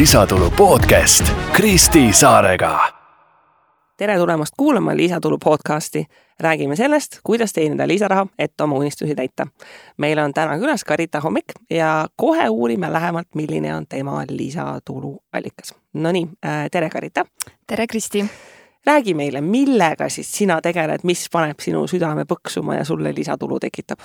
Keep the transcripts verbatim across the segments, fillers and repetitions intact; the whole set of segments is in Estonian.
lisatulu podcast Kristi Saarega. Tere tulemast kuulama Lisatulu podcasti. Räägime sellest, kuidas teenida lisaraha, et oma unistusi täita. Meil on täna külas Karita Hommik ja kohe uurime lähemalt, milline on tema lisatulu allikas. No nii, tere Karita. Tere Kristi. Räägi meile, millega siis sina tegeled, mis paneb sinu südame põksuma ja sulle lisatulu tekitab?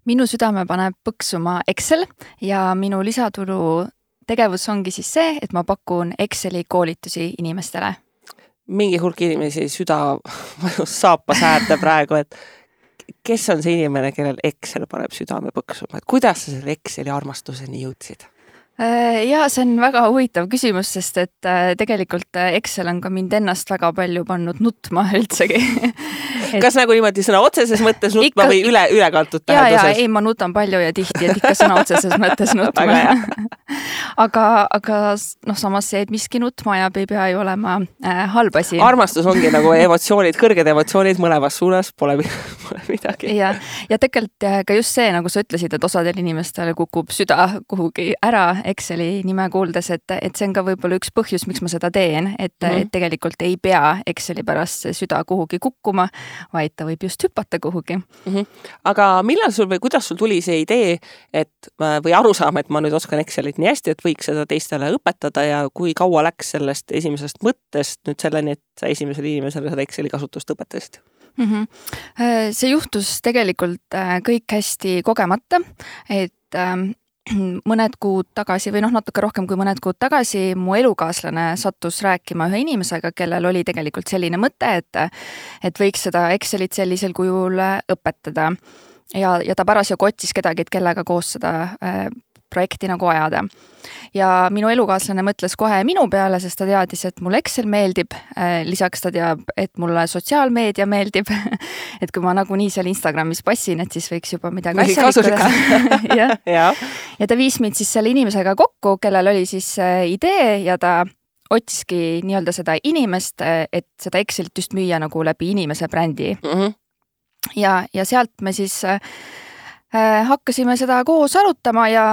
Minu südame paneb põksuma Excel ja minu lisatulu tegevus ongi siis see, et ma pakun Exceli koolitusi inimestele. Mingi hulk inimesi süda saapa säärde praegu, et kes on see inimene, kellel Excel paneb südame põksuma? Et kuidas sa selle Exceli armastuseni jõudsid? Ja see on väga huvitav küsimus, sest et tegelikult Excel on ka mind ennast väga palju pannud nutma üldsegi. Et... Kas nagu niimoodi sõna otseses mõttes nutma ikka... või üle, ülekantud tähenduses? Ja, ja, ei, ma nutan palju ja tihti, et ikka sõna otseses mõttes nutma. aga, aga noh, samas see, et miski nutma ajab, ei pea ju olema äh, halb asi. Armastus ongi nagu emotsioonid, kõrged emotsioonid mõlemas suunas, pole, pole midagi. Ja, ja tegelikult ka just see, nagu sa ütlesid, et osadel inimestel kukub süda kuhugi ära Exceli nime kuuldes, et, et see on ka võib-olla üks põhjus, miks ma seda teen, et, mm-hmm. et tegelikult ei pea Exceli pärast see süda kuhugi kukkuma, vaid ta võib just hüpata kuhugi. Mm-hmm. Aga millal sul või kuidas sul tuli see idee, et või arusaam, et ma nüüd oskan Excelit nii hästi, et võiks seda teistele õpetada ja kui kaua läks sellest esimesest mõttest nüüd selleni, et sa esimesele inimesele seda Exceli kasutust õpetasid? Mm-hmm. See juhtus tegelikult kõik hästi kogemata, et mõned kuud tagasi või noh, natuke rohkem kui mõned kuud tagasi mu elukaaslane sattus rääkima ühe inimesega, kellel oli tegelikult selline mõte, et, et võiks seda Excelit sellisel kujul õpetada. Ja, ja ta parasjagu otsis kedagi, et kellega koos seda äh, projekti nagu ajada. Ja minu elukaaslane mõtles kohe minu peale, sest ta teadis, et mulle Excel meeldib. Lisaks ta teab, et mulle sotsiaalmeedia meeldib. Et kui ma nagunii seal Instagramis passin, et siis võiks juba midagi asjalikku. ja. ja. ja ta viis mind siis selle inimesega kokku, kellel oli siis idee ja ta otsiski nii-öelda seda inimest, et seda Excelit just müüa nagu läbi inimese brändi. Mm-hmm. Ja, ja sealt me siis äh, hakkasime seda koos arutama ja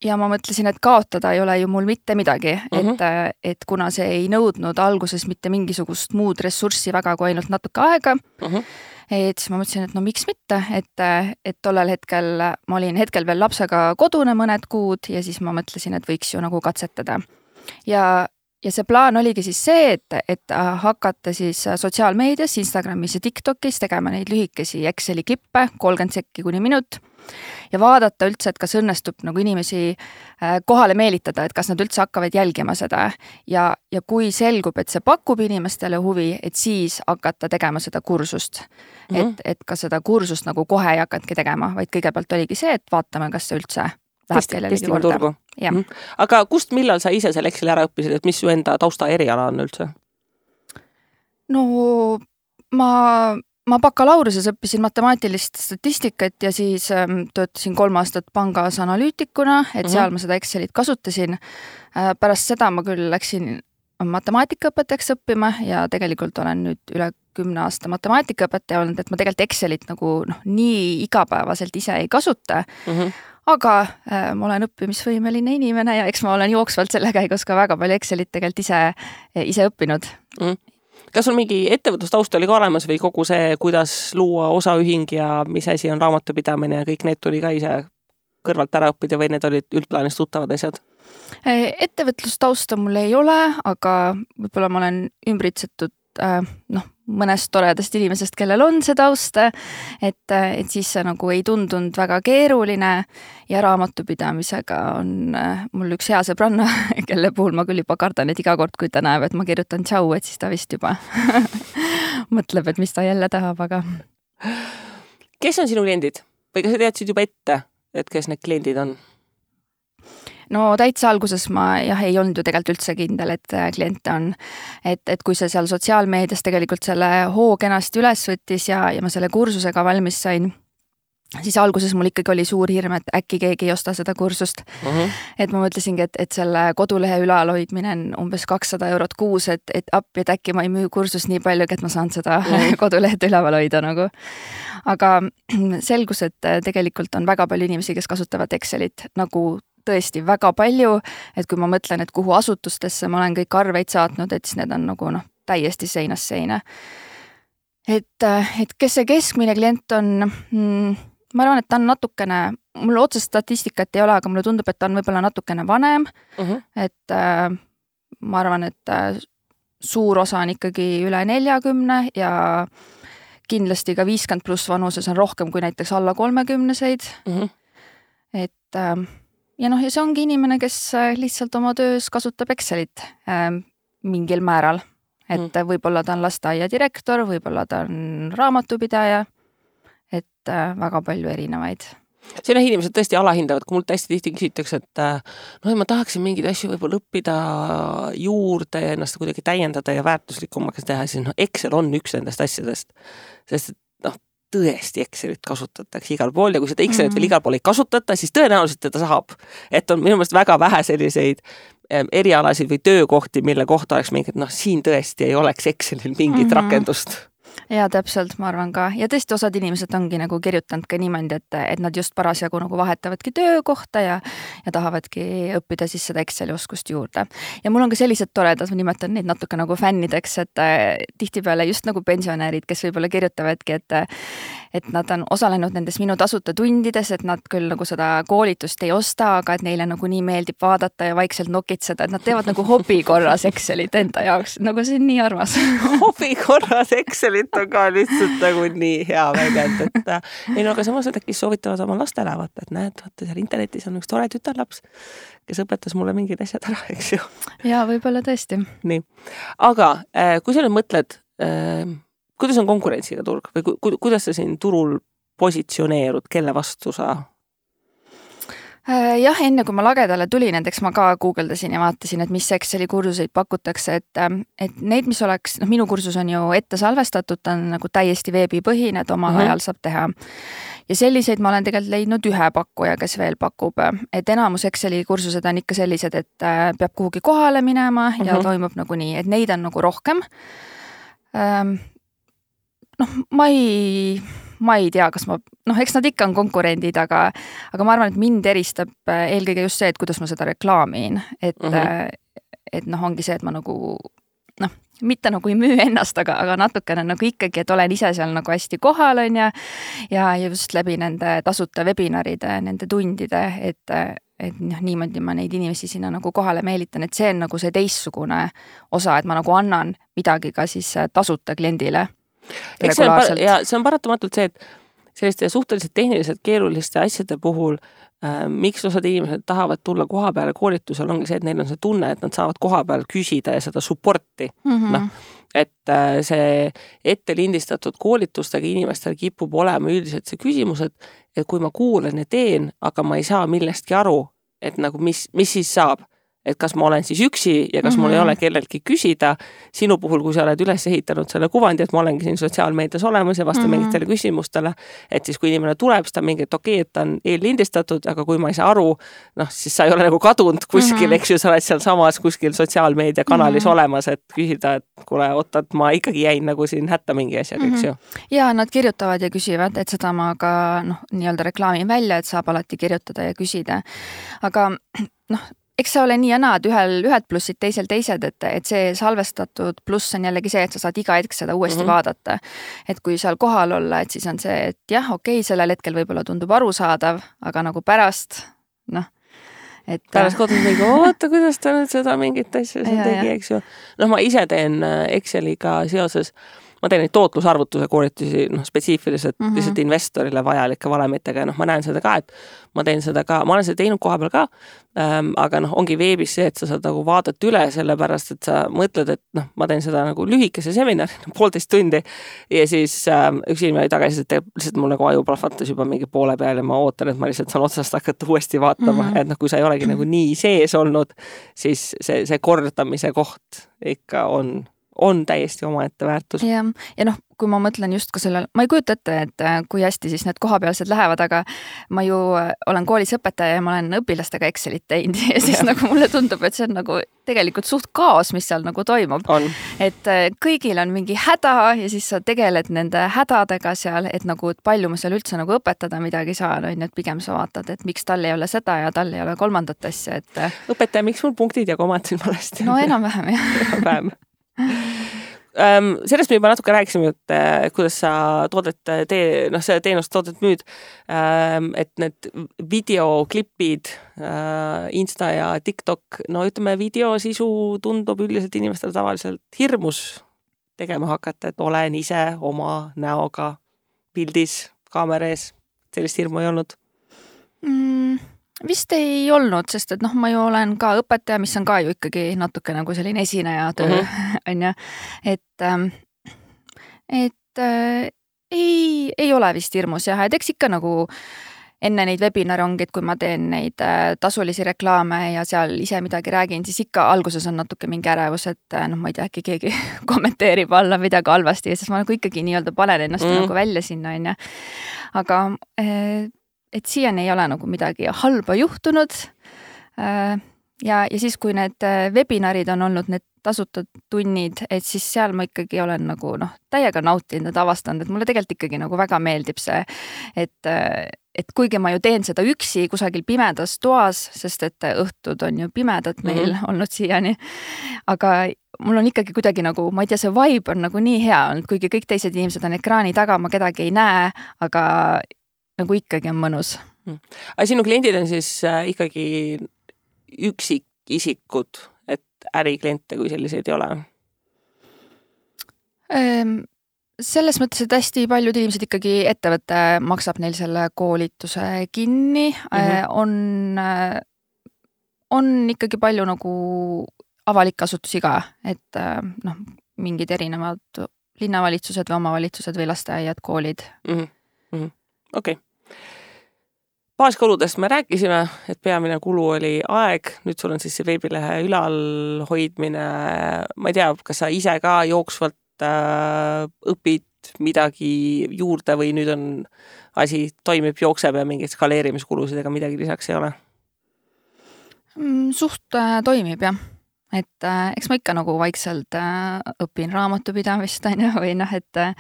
Ja ma mõtlesin, et kaotada ei ole ju mul mitte midagi, uh-huh. et, et kuna see ei nõudnud alguses mitte mingisugust muud ressurssi väga kui ainult natuke aega, uh-huh. et siis ma mõtlesin, et no miks mitte, et, et tollel hetkel ma olin hetkel veel lapsega kodune mõned kuud ja siis ma mõtlesin, et võiks ju nagu katsetada. Ja, ja see plaan oligi siis see, et, et hakata siis sotsiaalmeedias, Instagramis ja TikTokis tegema neid lühikesi Exceli klippe, kolmkümmend sekki kuni minut, ja vaadata üldse, et kas õnnestub nagu inimesi kohale meelitada, et kas nad üldse hakkavad jälgima seda. Ja, ja kui selgub, et see pakub inimestele huvi, et siis hakata tegema seda kursust. Mm-hmm. Et, et ka seda kursust nagu kohe ei hakatki tegema, vaid kõigepealt oligi see, et vaatame, kas see üldse läheb kellelegi korda. Mm-hmm. Aga kust, millal sa ise selle Exceli ära õppisid, et mis su enda tausta eriala on üldse? No ma... Ma bakalaureses õppisin matemaatilist statistikat ja siis ähm, töötasin kolm aastat pangas analüütikuna, et uh-huh. seal ma seda Excelit kasutasin. Äh, pärast seda ma küll läksin matemaatikaõpetajaks õppima ja tegelikult olen nüüd üle kümne aasta matemaatikaõpetaja olnud, et ma tegelikult Excelit nagu noh, nii igapäevaselt ise ei kasuta, uh-huh. aga äh, ma olen õppimisvõimeline inimene ja eks ma olen jooksvalt selle käigus ka väga palju Excelit tegelikult ise, ise õppinud. Uh-huh. Kas sul mingi ettevõtlustaust oli ka olemas või kogu see, kuidas luua osaühing ja mis asi on raamatupidamine ja kõik need tuli ka ise kõrvalt ära õppida või need olid üldplaanis tuttavad asjad? Ettevõtlustausta mul ei ole, aga võib-olla ma olen ümbritsetud äh, noh, mõnest toredast inimesest, kellel on see taust, et, et siis see nagu ei tundunud väga keeruline ja raamatupidamisega on äh, mul üks hea sõbranna, kelle puhul ma küll juba kardan, et iga kord, kui ta näeb, et ma kirjutan tšau, et siis ta vist juba mõtleb, et mis ta jälle tahab, aga... Kes on sinu kliendid? Või kas sa teadsid juba ette, et kes need kliendid on? No täitsa alguses ma jah, ei olnud ju tegelikult üldse kindel, et kliente on, et, et kui see seal sotsiaalmeedias tegelikult selle hoo kenasti üles võttis ja, ja ma selle kursusega valmis sain, siis alguses mul ikkagi oli suur hirm, et äkki keegi ei osta seda kursust. Uh-huh. Et ma mõtlesingi, et, et selle kodulehe ülalhoidmine on umbes kakssada eurot kuus, et, et appi, et äkki ma ei müü kursust nii palju, et ma saan seda uh-huh. kodulehed üleval hoida nagu. Aga selgus, et tegelikult on väga palju inimesi, kes kasutavad Excelit nagu tõesti väga palju, et kui ma mõtlen, et kuhu asutustesse ma olen kõik arveid saatnud, et siis need on nagu noh, täiesti seinast seina. Et, et kes see keskmine klient on, mm, ma arvan, et ta on natukene, mul otsest statistikat ei ole, aga mulle tundub, et ta on võib-olla natukene vanem, uh-huh. et äh, ma arvan, et äh, suur osa on ikkagi üle neljakümne ja kindlasti ka viiskümmend pluss vanuses on rohkem kui näiteks alla kolmekümneseid. Uh-huh. Et äh, ja noh, ja see ongi inimene, kes lihtsalt oma töös kasutab Excelit äh, mingil määral. Et mm. võib-olla ta on lasteaia direktor, võib-olla ta on raamatupidaja, et äh, väga palju erinevaid. Siin inimesed tõesti alahindavad, kui mul täiesti tihti küsitakse, et noh, ma tahaksin mingeid asju võib-olla õppida juurde ja ennast kuidagi täiendada ja väärtuslikumaks teha, siis noh, Excel on üks nendest asjadest, sest noh, tõesti Excelit kasutatakse igal pool ja kui seda Excelit mm-hmm. veel igal pool ei kasutata, siis tõenäoliselt teda saab. Et on minu meelest väga vähe selliseid erialasid või töökohti, mille kohta oleks mingid, noh, siin tõesti ei oleks Excelil mingit mm-hmm. rakendust. Ja täpselt, ma arvan ka. Ja tõesti osad inimesed ongi nagu kirjutanud ka niimoodi, et, et nad just parasjagu nagu vahetavadki töökohta ja, ja tahavadki õppida siis seda Exceli oskust juurde. Ja mul on ka sellised toredad, ma nimetan neid natuke nagu fännideks, et tihtipeale just nagu pensionärid, kes võib-olla kirjutavadki, et, et nad on osalenud nendes minu tasuta tundides, et nad küll nagu seda koolitust ei osta, aga et neile nagu nii meeldib vaadata ja vaikselt nokitseda, et nad teevad nagu hobi korras Excelit enda jaoks. Nagu see on nii armas. Hobi korras Excelit on ka lihtsalt nagu nii hea väljend, et ei no, aga samas nad äkki soovitavad oma lastele vaata, et näed, vaata seal internetis on üks tore tütarlaps, kes õpetas mulle mingid asjad ära, eks ju. Ja võib-olla tõesti. Nii, aga kui sa nüüd mõtled, kuidas on konkurentsiga turg või ku, kuidas sa siin turul positsioneerud, kelle vastu sa? Jah, enne kui ma lagedale tulin, näiteks ma ka guugeldasin ja vaatasin, et mis Exceli kursuseid pakutakse, et, et neid, mis oleks, noh, minu kursus on ju ette salvestatud, ta on nagu täiesti veebipõhine, et omal mm-hmm. ajal saab teha. Ja selliseid ma olen tegelikult leidnud ühe pakkuja, kes veel pakub, et enamus Exceli kursused on ikka sellised, et peab kuhugi kohale minema ja mm-hmm. toimub nagu nii, et neid on nagu rohkem. Noh, ma ei... ma ei tea, kas ma, noh, eks nad ikka on konkurendid, aga, aga ma arvan, et mind eristab eelkõige just see, et kuidas ma seda reklaamin, et, uh-huh. et noh, ongi see, et ma nagu, noh, mitte nagu ei müü ennast, aga, aga natukene nagu ikkagi, et olen ise seal nagu hästi kohal on ja, ja just läbi nende tasuta webinaride, nende tundide, et, et noh, niimoodi ma neid inimesi sinna nagu kohale meelitan, et see on nagu see teissugune osa, et ma nagu annan midagi ka siis tasuta kliendile. Eks see on, ja see on paratamatult see, et selliste suhteliselt tehniliselt keeruliste asjade puhul äh, miks osad inimesed tahavad tulla koha peale koolitusel, ongi see, et neil on see tunne, et nad saavad koha peal küsida ja seda supporti. Mm-hmm. No, et äh, see ette lindistatud koolitustega inimestel kipub olema üldiselt see küsimus, et, et kui ma kuulen ja teen, aga ma ei saa millestki aru, et nagu mis, mis siis saab. Et kas ma olen siis üksi ja kas mm-hmm. mul ei ole kelleltki küsida. Sinu puhul, kui sa oled üles ehitanud selle kuvandi, et ma olengi siin sotsiaalmeedias olemas ja vastan mm-hmm. mingitele küsimustele, et siis kui inimene tuleb, siis ta mingi, et okei, et ta on eellindistatud, aga kui ma ei saa aru, noh, siis sa ei ole nagu kadunud kuskil, mm-hmm. eks ju, sa oled seal samas kuskil sotsiaalmeedia kanalis mm-hmm. olemas, et küsida, et kuule, oota, et ma ikkagi jäin nagu siin hätta mingi asjaga, eks ju. Mm-hmm. Ja nad kirjutavad ja küsivad, et seda ma ka noh, nii-öelda reklaamin välja, et saab alati kirjutada ja küsida. Aga noh, eks see ole nii ja naad, ühel ühed plussid, teisel teised, et, et see salvestatud pluss on jällegi see, et sa saad iga hetk seda uuesti mm-hmm. vaadata. Et kui seal kohal olla, et siis on see, et jah, okei, sellel hetkel võib-olla tundub arusaadav, aga nagu pärast, noh, et pärast kodus mingi, oota, kuidas ta nüüd seda mingit asja siin tegi, eks ju. Noh, ma ise teen Exceliga seoses, ma teen neid tootlusarvutuse koolitusi noh, spetsiifiliselt mm-hmm. lihtsalt investorile vajalike valemitega ja noh, ma näen seda ka, et ma teen seda ka, ma olen seda teinud koha peal ka, ähm, aga noh, ongi veebis see, et sa saad nagu vaadata üle sellepärast, et sa mõtled, et noh, ma teen seda nagu lühikese seminari, poolteist tundi ja siis ähm, üks inimene oli tagasi, et lihtsalt mul nagu aju plahvatas juba mingi poole peal ja ma ootan, et ma lihtsalt saan otsast hakata uuesti vaatama, mm-hmm. et noh, kui sa ei olegi nagu nii sees olnud, siis see, see kordamise koht ikka on on täiesti omaette väärtus. Ja, ja noh, kui ma mõtlen just ka sellel, ma ei kujuta ette, et kui hästi siis need kohapealsed lähevad, aga ma ju olen koolis õpetaja ja ma olen õpilastega Excelit teinud ja siis ja. nagu mulle tundub, et see on nagu tegelikult suht kaos, mis seal nagu toimub. On. Et kõigil on mingi häda ja siis sa tegeled nende hädadega seal, et nagu et palju ma seal üldse nagu õpetada midagi saan, on, et pigem sa vaatad, et miks tal ei ole seda ja tal ei ole kolmandat asja. Et... õpetaja, miks mul punktid ja komad siin valesti? No enam-vähem jah. Enam-vähem. Um, sellest me juba natuke rääkisime, et kuidas sa toodet tee, noh, see teenust toodet müüd, um, et need videoklipid, uh, Insta ja TikTok, no ütleme, videosisu tundub üldiselt inimestele tavaliselt hirmus tegema hakata, et olen ise oma näoga pildis, kaamera ees, sellist hirmu ei olnud? Mm. Vist ei olnud, sest et noh, ma ju olen ka õpetaja, mis on ka ju ikkagi natuke nagu selline esineja töö, uh -huh. on ju, et, et äh, ei, ei ole vist hirmus jah, et eks ikka nagu enne neid webinare ongi, et kui ma teen neid äh, tasulisi reklaame ja seal ise midagi räägin, siis ikka alguses on natuke mingi ärevus, et äh, noh, ma ei tea, äkki keegi kommenteerib alla midagi halvasti ja siis ma nagu ikkagi nii-öelda panen ennast mm. nagu välja sinna, on ju, aga äh, et siiani ei ole nagu midagi halba juhtunud ja, ja siis, kui need webinarid on olnud need tasutud tunnid, et siis seal ma ikkagi olen nagu noh, täiega nautinud ja avastanud, et mulle tegelikult ikkagi nagu väga meeldib see, et, et kuigi ma ju teen seda üksi kusagil pimedas toas, sest et õhtud on ju pimedad meil mm-hmm. olnud siiani, aga mul on ikkagi kuidagi nagu, ma ei tea, see vibe on nagu nii hea olnud, kuigi kõik teised inimesed on ekraani taga, ma kedagi ei näe, aga nagu ikkagi on mõnus. Aga sinu kliendid on siis äh, ikkagi üksikisikud, et ärikliente kui selliseid ei ole? Ähm, selles mõttes, et hästi paljud inimesed ikkagi ettevõte maksab neil selle koolituse kinni. Mm-hmm. Äh, on, äh, on ikkagi palju nagu avalik asutusi ka, et äh, noh, mingid erinevad linnavalitsused või omavalitsused või lasteaiad, koolid. Mm-hmm. Mm-hmm. Okei. Okay. Baaskuludest me rääkisime, et peamine kulu oli aeg, nüüd sul on siis see veebilehe ülalhoidmine, ma ei tea, kas sa ise ka jooksvalt äh, õpid midagi juurde või nüüd on asi toimib, jookseb ja mingeid skaleerimiskulusid ega midagi lisaks ei ole? Suht äh, toimib jah, et äh, eks ma ikka nagu vaikselt äh, õpin raamatupidamist on ju, või noh, et äh,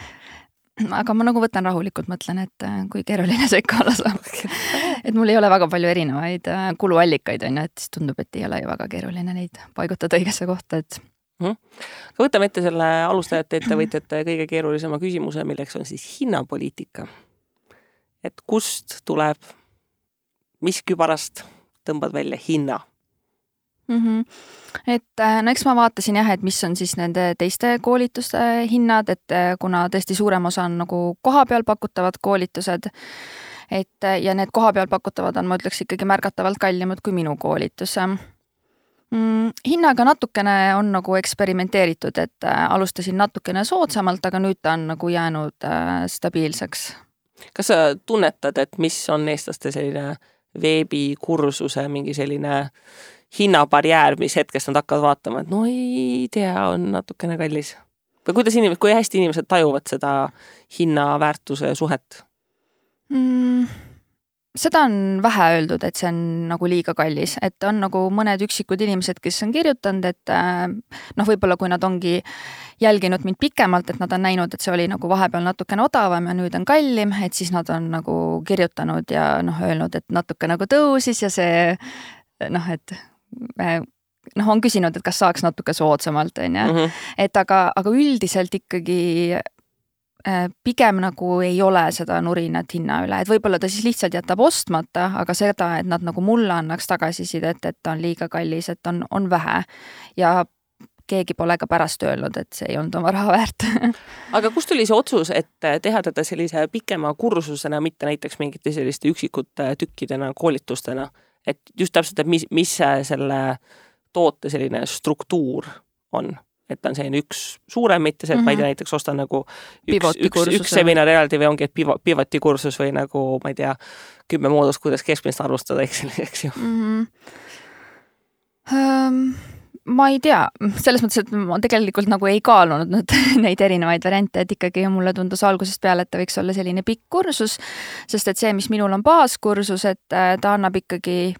aga ma nagu võtan rahulikult, mõtlen, et kui keeruline see ikka olla saab. Et mul ei ole väga palju erinevaid kuluallikaid, on ju, et siis tundub, et ei ole ju väga keeruline neid paigutada õigesse kohta. Et... Mm. Võtame ette selle alustajate ettevõtjate kõige keerulisema küsimuse, milleks on siis hinnapoliitika. Et kust tuleb, mis kübarast tõmbad välja hinna? Mm-hmm. Et no eks ma vaatasin jah, et mis on siis nende teiste koolituste hinnad, et kuna tõesti suurem osa on nagu kohapeal pakutavad koolitused, et ja need kohapeal pakutavad on, ma ütleks ikkagi märgatavalt kallimad kui minu koolitus. Mm, hinnaga natukene on nagu eksperimenteeritud, et alustasin natukene soodsamalt, aga nüüd ta on nagu jäänud stabiilseks. Kas sa tunnetad, et mis on eestlaste selline veebikursuse mingi selline hinnabarjäär, mis hetkest nad hakkavad vaatama, et no ei tea, on natukene kallis. Või kuidas inimesed, kui hästi inimesed tajuvad seda hinnaväärtuse suhet? Mm, seda on vähe öeldud, et see on nagu liiga kallis, et on nagu mõned üksikud inimesed, kes on kirjutanud, et noh, võib-olla kui nad ongi jälginud mind pikemalt, et nad on näinud, et see oli nagu vahepeal natukene odavam ja nüüd on kallim, et siis nad on nagu kirjutanud ja noh, öelnud, et natuke nagu tõusis ja see noh, et noh, on küsinud, et kas saaks natuke soodsamalt, on ju. Mm-hmm. Et aga, aga üldiselt ikkagi pigem nagu ei ole seda nurinat hinna üle, et võib-olla ta siis lihtsalt jätab ostmata, aga seda, et nad nagu mulle annaks tagasisidet, et ta on liiga kallis, et on, on vähe ja keegi pole ka pärast öelnud, et see ei olnud oma raha väärt. Aga kust tuli see otsus, et teha teda sellise pikema kursusena, mitte näiteks mingite selliste üksikute tükkidena, koolitustena? Et just täpselt, et mis, mis selle toote selline struktuur on, et ta on selline üks suurem, mitte see, et mm-hmm. ma ei tea, näiteks ostan nagu üks, üks, üks seminar eraldi või ongi, et pivoti kursus või nagu, ma ei tea, kümme moodust, kuidas keskmist arvustada, eks, eks ju. Mm-hmm. Um, ma ei tea, selles mõttes, et ma tegelikult nagu ei kaalunud nüüd neid erinevaid variante, et ikkagi mulle tundus algusest peale, et ta võiks olla selline pikk kursus, sest et see, mis minul on baaskursus, et ta annab ikkagi,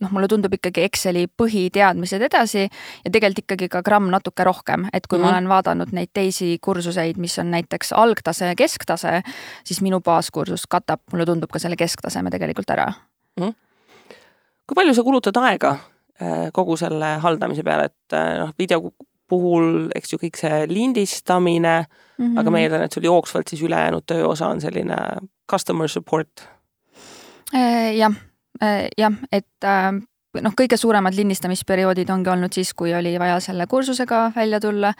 noh, mulle tundub ikkagi Exceli põhiteadmised edasi ja tegelikult ikkagi ka gramm natuke rohkem, et kui mm. ma olen vaadanud neid teisi kursuseid, mis on näiteks algtase ja kesktase, siis minu baaskursus katab, mulle tundub ka selle kesktaseme tegelikult ära. Mm. Kui palju sa kulutad aega kogu selle haldamise peale, et noh, video puhul, eks ju, kõik see lindistamine, mm-hmm. aga ma eeldan, et sul jooksvalt siis ülejäänud tööosa on selline customer support. Jah, jah, et noh, kõige suuremad lindistamisperioodid ongi olnud siis, kui oli vaja selle kursusega välja tulla,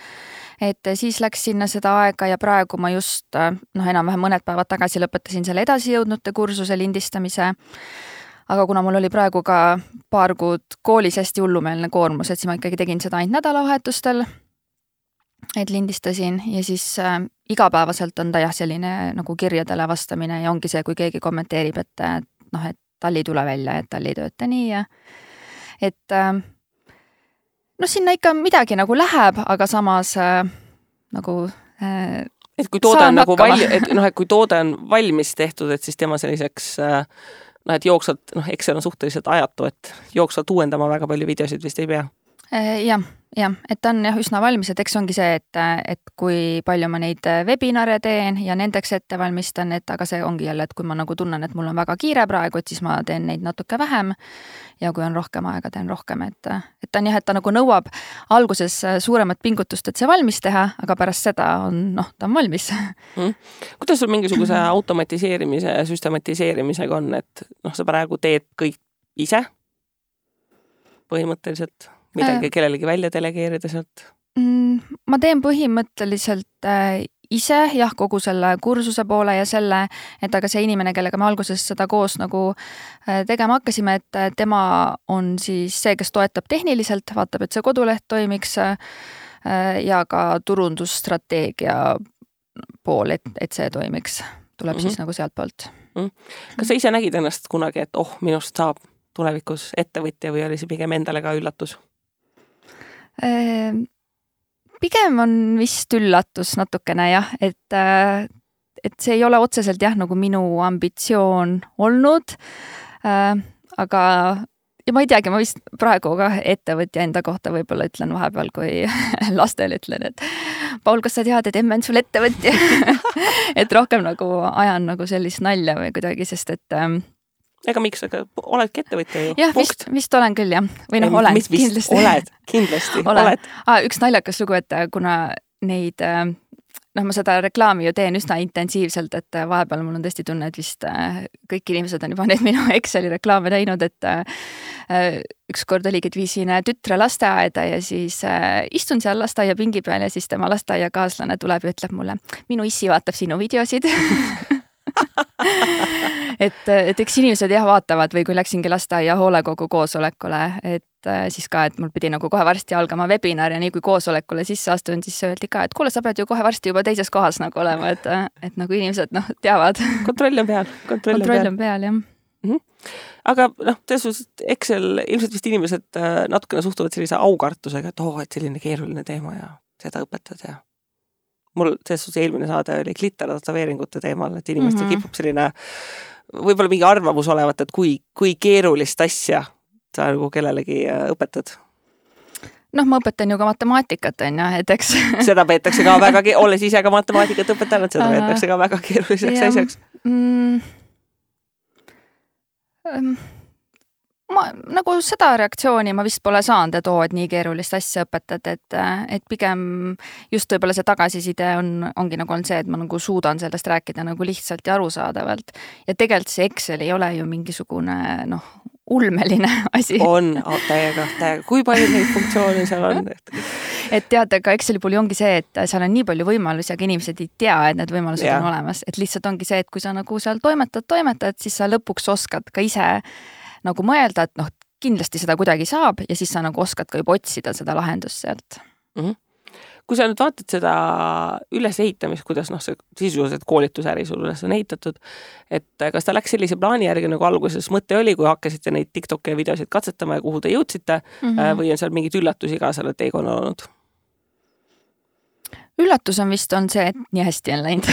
et siis läks sinna seda aega ja praegu ma just, noh, enam-vähem mõned päevad tagasi lõpetasin selle edasijõudnute kursuse lindistamise. Aga kuna mul oli praegu ka paar kuud koolis hästi hullumeelne koormus, et siis ma ikkagi tegin seda ainult nädalavahetustel, et lindistasin ja siis äh, igapäevaselt on ta jah selline nagu kirjadele vastamine ja ongi see, kui keegi kommenteerib, et noh, et tal ei tule välja, et tal ei tööta nii ja et äh, noh, sinna ikka midagi nagu läheb, aga samas äh, nagu äh, et kui toode on nagu valmi, et noh, et kui toode on valmis tehtud, et siis tema selliseks äh, noh, et jooksvalt, noh, Excel on suhteliselt ajatu, et jooksvalt uuendama väga palju videosid vist ei pea. Jah, jah, et ta on jah üsna valmis, et eks ongi see, et, et kui palju ma neid webinare teen ja nendeks ette valmistan, et aga see ongi jälle, et kui ma nagu tunnen, et mul on väga kiire praegu, et siis ma teen neid natuke vähem ja kui on rohkem aega, teen rohkem, et, et ta on jah, et ta nagu nõuab alguses suuremat pingutust, et see valmis teha, aga pärast seda on, noh, ta on valmis. Mm. Kuidas sul mingisuguse automatiseerimise ja süstematiseerimisega on, et noh, sa praegu teed kõik ise põhimõtteliselt? Midagi kellelegi välja delegeerida sealt? Ma teen põhimõtteliselt ise, jah, kogu selle kursuse poole ja selle, et aga see inimene, kellega me alguses seda koos nagu tegema hakkasime, et tema on siis see, kes toetab tehniliselt, vaatab, et see koduleht toimiks ja ka turundusstrateegia pool, et, et see toimiks, tuleb mm-hmm. siis nagu sealt poolt. Mm. Kas sa ise nägid ennast kunagi, et oh, minust saab tulevikus ettevõtja või oli see pigem endale ka üllatus? Pigem on vist üllatus natukene jah, et, et see ei ole otseselt jah, nagu minu ambitsioon olnud, aga ja ma ei teagi, ma vist praegu ka ettevõtja enda kohta võib-olla ütlen vahepeal, kui lastele ütlen, et Paul, kas sa tead, et emme on sul ettevõtja? et rohkem nagu ajan nagu sellist nalja või kuidagi, sest et ega miks, aga oledki ettevõtja ju? Jah, vist, vist olen küll, jah. Või noh, olen mis, kindlasti. Oled, kindlasti, olen. oled. Ah, üks naljakas lugu, et kuna neid, noh, ma seda reklaami ju teen üsna intensiivselt, et vahepeal mul on tõesti tunne, et vist kõik inimesed on juba need minu Exceli reklaame näinud, et üks kord oligi, et viisin tütre lasteaeda ja siis istun seal lasteaia pingi peal ja siis tema lasteaiakaaslane tuleb ja ütleb mulle, minu issi vaatab sinu videosid. et, et eks inimesed jah vaatavad või kui läksingi lasteaia hoolekogu koosolekule, et siis ka, et mul pidi nagu kohe varsti algama webinar ja nii kui koosolekule sisse astun, siis öeldi ka, et kuule, sa pead ju kohe varsti juba teises kohas nagu olema, et, et nagu inimesed noh, teavad. Kontroll on peal. Kontroll, kontroll on peal, jah. Mm-hmm. Aga noh, selles Excel ilmselt vist inimesed natukene suhtuvad sellise aukartusega, et oh, et selline keeruline teema ja seda õpetad ja mul selles eelmine saade oli glittertatoveeringute teemal, et inimestel mm-hmm. kipub selline võib-olla mingi arvamus olevat, et kui, kui keerulist asja sa nagu kellelegi õpetad? Noh, ma õpetan ju ka matemaatikat, on ju, et eks. Seda peetakse ka väga, olles ise ka matemaatikat õpetanud, seda peetakse ka väga keeruliseks asjaks. Mm, um, ma nagu seda reaktsiooni ma vist pole saanud, et oo, et nii keerulist asja õpetad, et, et pigem just võib-olla see tagasiside on, ongi nagu on see, et ma nagu suudan sellest rääkida nagu lihtsalt ja arusaadavalt. Ja tegelikult see Excel ei ole ju mingisugune, noh, ulmeline asi. On, täiega, täiega. Kui palju neid funktsioone seal on? et tead, aga Exceli puhul ongi see, et seal on nii palju võimalusi, aga inimesed ei tea, et need võimalused ja. On olemas. Et lihtsalt ongi see, et kui sa nagu seal toimetad, toimetad, siis sa lõpuks oskad ka ise nagu mõelda, et noh, kindlasti seda kuidagi saab ja siis sa nagu oskad ka juba otsida seda lahendust sealt. Mm-hmm. kui sa nüüd vaatad seda ülesehitamist, kuidas noh, see sisuliselt koolitusäri sul üles on ehitatud, et kas ta läks sellise plaani järgi, nagu alguses mõte oli, kui hakkasite neid TikToki videosid katsetama ja kuhu te jõudsite mm -hmm. või on seal mingid üllatusi ka selle teekonna olnud? Üllatus on vist on see, et nii hästi on läinud.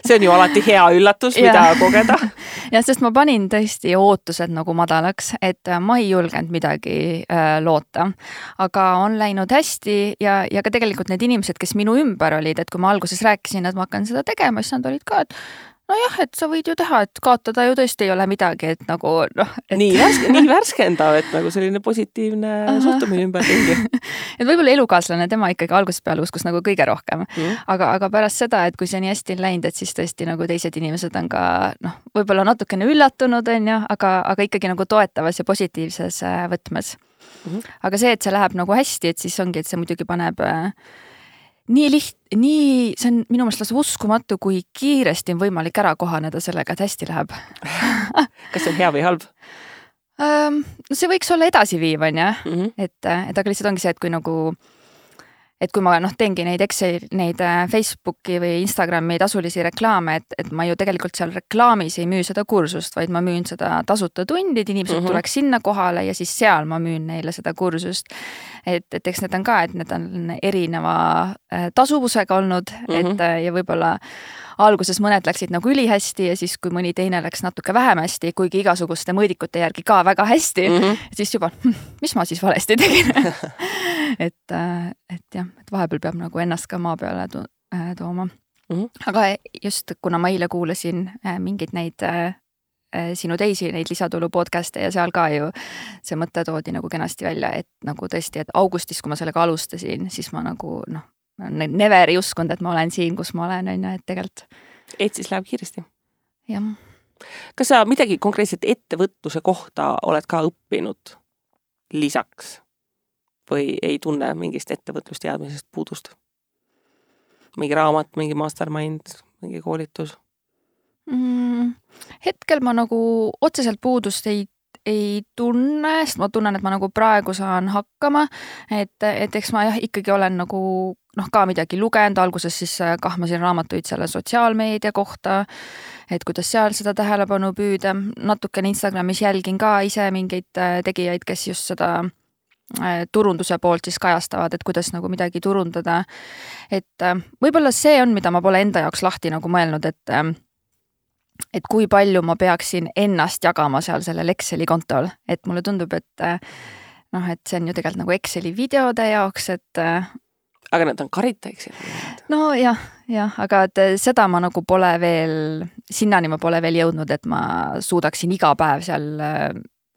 See on ju alati hea üllatus, mida ja. kogeda. Ja sest ma panin tõesti ootused nagu madalaks, et ma ei julgenud midagi äh, loota. Aga on läinud hästi ja, ja ka tegelikult need inimesed, kes minu ümber olid, et kui ma alguses rääkisin, et ma hakkan seda tegema, siis nad olid ka, et nojah, et sa võid ju teha, et kaotada ju tõesti ei ole midagi, et nagu noh. Et... Nii, värske, nii värskendav, et nagu selline positiivne Aha. suhtumine ümber ringi. Et võib-olla elukaaslane tema ikkagi algusest peale uskus nagu kõige rohkem. Mm. Aga, aga pärast seda, et kui see nii hästi on läinud, et siis tõesti nagu teised inimesed on ka noh, võib-olla natukene üllatunud, on ju, aga, aga ikkagi nagu toetavas ja positiivses võtmes. Mm. Aga see, et see läheb nagu hästi, et siis ongi, et see muidugi paneb nii liht-, nii, see on minu meelest lausa uskumatu, kui kiiresti on võimalik ära kohaneda sellega, et hästi läheb. Kas see on hea või halb? Um, no see võiks olla edasiviiv, on ju, mm -hmm. et, et aga lihtsalt ongi see, et kui nagu et kui ma noh, teengi neid Excel, neid Facebooki või Instagrami tasulisi reklaame, et, et ma ju tegelikult seal reklaamis ei müü seda kursust, vaid ma müün seda tasuta tundi, et inimesed mm -hmm. tuleks sinna kohale ja siis seal ma müün neile seda kursust. Et, et eks need on ka, et need on erineva tasuvusega olnud, mm -hmm. et ja võib-olla alguses mõned läksid nagu ülihästi ja siis, kui mõni teine läks natuke vähem hästi, kuigi igasuguste mõõdikute järgi ka väga hästi, mm -hmm. siis juba, mis ma siis valesti tegin? et, et jah, et vahepeal peab nagu ennast ka maa peale to tooma. Mm -hmm. Aga just, kuna ma eile kuulasin mingeid neid sinu teisi neid lisatulu podcast'e ja seal ka ju see mõte toodi nagu kenasti välja, et nagu tõesti, et augustis, kui ma sellega alustasin, siis ma nagu noh, never ei uskunud, et ma olen siin, kus ma olen, on ju, et tegelikult. Et siis läheb kiiresti. Jah. Kas sa midagi konkreetselt ettevõtluse kohta oled ka õppinud lisaks või ei tunne mingist ettevõtlusteadmisest puudust? Mingi raamat, mingi mastermind, mingi koolitus? Mm, hetkel ma nagu otseselt puudust ei ei tunne, sest ma tunnen, et ma nagu praegu saan hakkama, et, et eks ma jah, ikkagi olen nagu noh, ka midagi lugenud, alguses siis kahmasin raamatuid selle sotsiaalmeedia kohta, et kuidas seal seda tähelepanu püüda, natukene Instagramis jälgin ka ise mingeid tegijaid, kes just seda turunduse poolt siis kajastavad, et kuidas nagu midagi turundada, et võib-olla see on, mida ma pole enda jaoks lahti nagu mõelnud, et et kui palju ma peaksin ennast jagama seal sellel Exceli kontol, et mulle tundub, et noh, et see on ju tegelikult nagu Exceli videode jaoks, et aga need on Karita Exceli? No jah, jah, aga et seda ma nagu pole veel, sinnani ma pole veel jõudnud, et ma suudaksin iga päev seal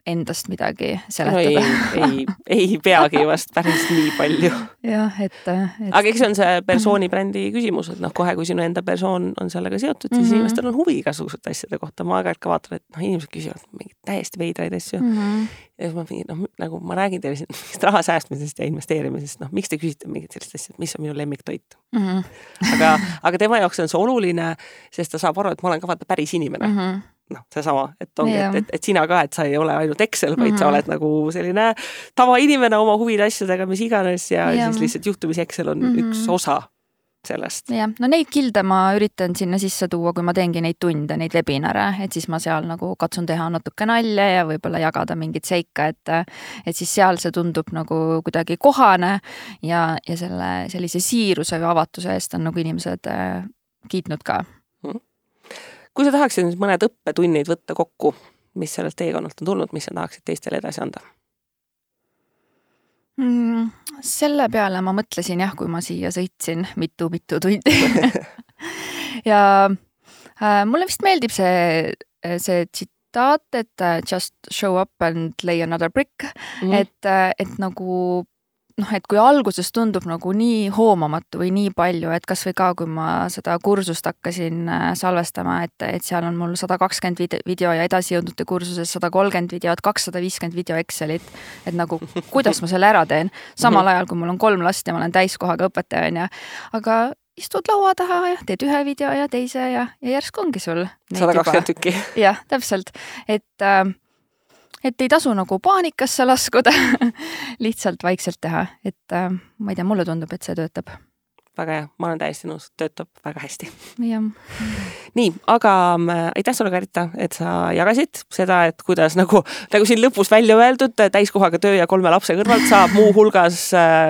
endast midagi seletada. No ei, ei, ei peagi vast päris nii palju. Jah, et, et... Aga eks see on see persooni brändi küsimus, et noh, kohe kui sinu enda persoon on sellega seotud, siis mm -hmm. inimestel on huvi igasugused asjade kohta. Ma aeg-aeg ka vaatan, et noh, inimesed küsivad mingid täiesti veidraid asju. Mm -hmm. Ja siis ma mingid, noh, nagu ma räägin teile mingist raha säästmisest ja investeerimisest, noh, miks te küsite mingid sellist asja, mis on minu lemmiktoit? Mm -hmm. aga, aga tema jaoks on see oluline, sest ta saab aru, et ma olen ka vaata päris inimene. Mm -hmm. noh, see sama, et ongi, et, et, et sina ka, et sa ei ole ainult Excel, vaid mm -hmm. sa oled nagu selline tavainimene oma huvide asjadega, mis iganes ja, ja siis lihtsalt juhtumis Excel on mm -hmm. üks osa sellest. Jah, no neid kilde ma üritan sinna sisse tuua, kui ma teengi neid tunde, neid webinare, et siis ma seal nagu katsun teha natuke nalja ja võib-olla jagada mingit seika, et, et siis seal see tundub nagu kuidagi kohane ja, ja selle sellise siiruse või avatuse eest on nagu inimesed äh, kiitnud ka. Mm -hmm. Kui sa tahaksid nüüd mõned õppetunnid võtta kokku, mis sellest teekonnalt on tulnud, mis sa tahaksid teistele edasi anda? Mm, selle peale ma mõtlesin jah, kui ma siia sõitsin mitu-mitu tundi. ja äh, mulle vist meeldib see, see tsitaat, et just show up and lay another brick, mm. et, et nagu noh, et kui alguses tundub nagu nii hoomamatu või nii palju, et kas või ka, kui ma seda kursust hakkasin salvestama, et, et seal on mul sada kakskümmend video ja edasijõudnute kursuses sada kolmkümmend videot, kakssada viiskümmend video Excelit, et nagu kuidas ma selle ära teen, samal ajal kui mul on kolm last ja ma olen täiskohaga õpetaja, on ja, aga istud laua taha ja teed ühe video ja teise ja, ja järsku ongi sul sada kakskümmend tükki. jah, täpselt, et äh, et ei tasu nagu paanikasse laskuda, lihtsalt vaikselt teha, et äh, ma ei tea, mulle tundub, et see töötab. Väga hea, ma olen täiesti nõus, töötab väga hästi. Jah. Nii, aga aitäh sulle, Karita, et sa jagasid seda, et kuidas nagu, nagu siin lõpus välja öeldud, täiskohaga töö ja kolme lapse kõrvalt saab muu hulgas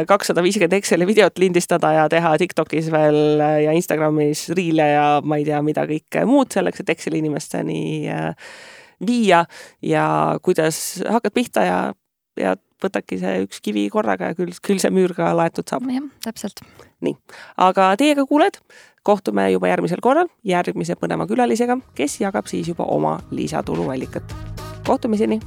kakssada viiskümmend Exceli videot lindistada ja teha TikTokis veel ja Instagramis riile ja ma ei tea, mida kõik muud selleks, et Exceli inimesteni viia ja kuidas hakkad pihta ja, ja võtadki see üks kivi korraga ja küll, küll see müür ka laetud saab. Jah, täpselt. Nii, aga teiega kuuled, kohtume juba järgmisel korral järgmise põneva külalisega, kes jagab siis juba oma lisatuluallikat. Kohtumiseni!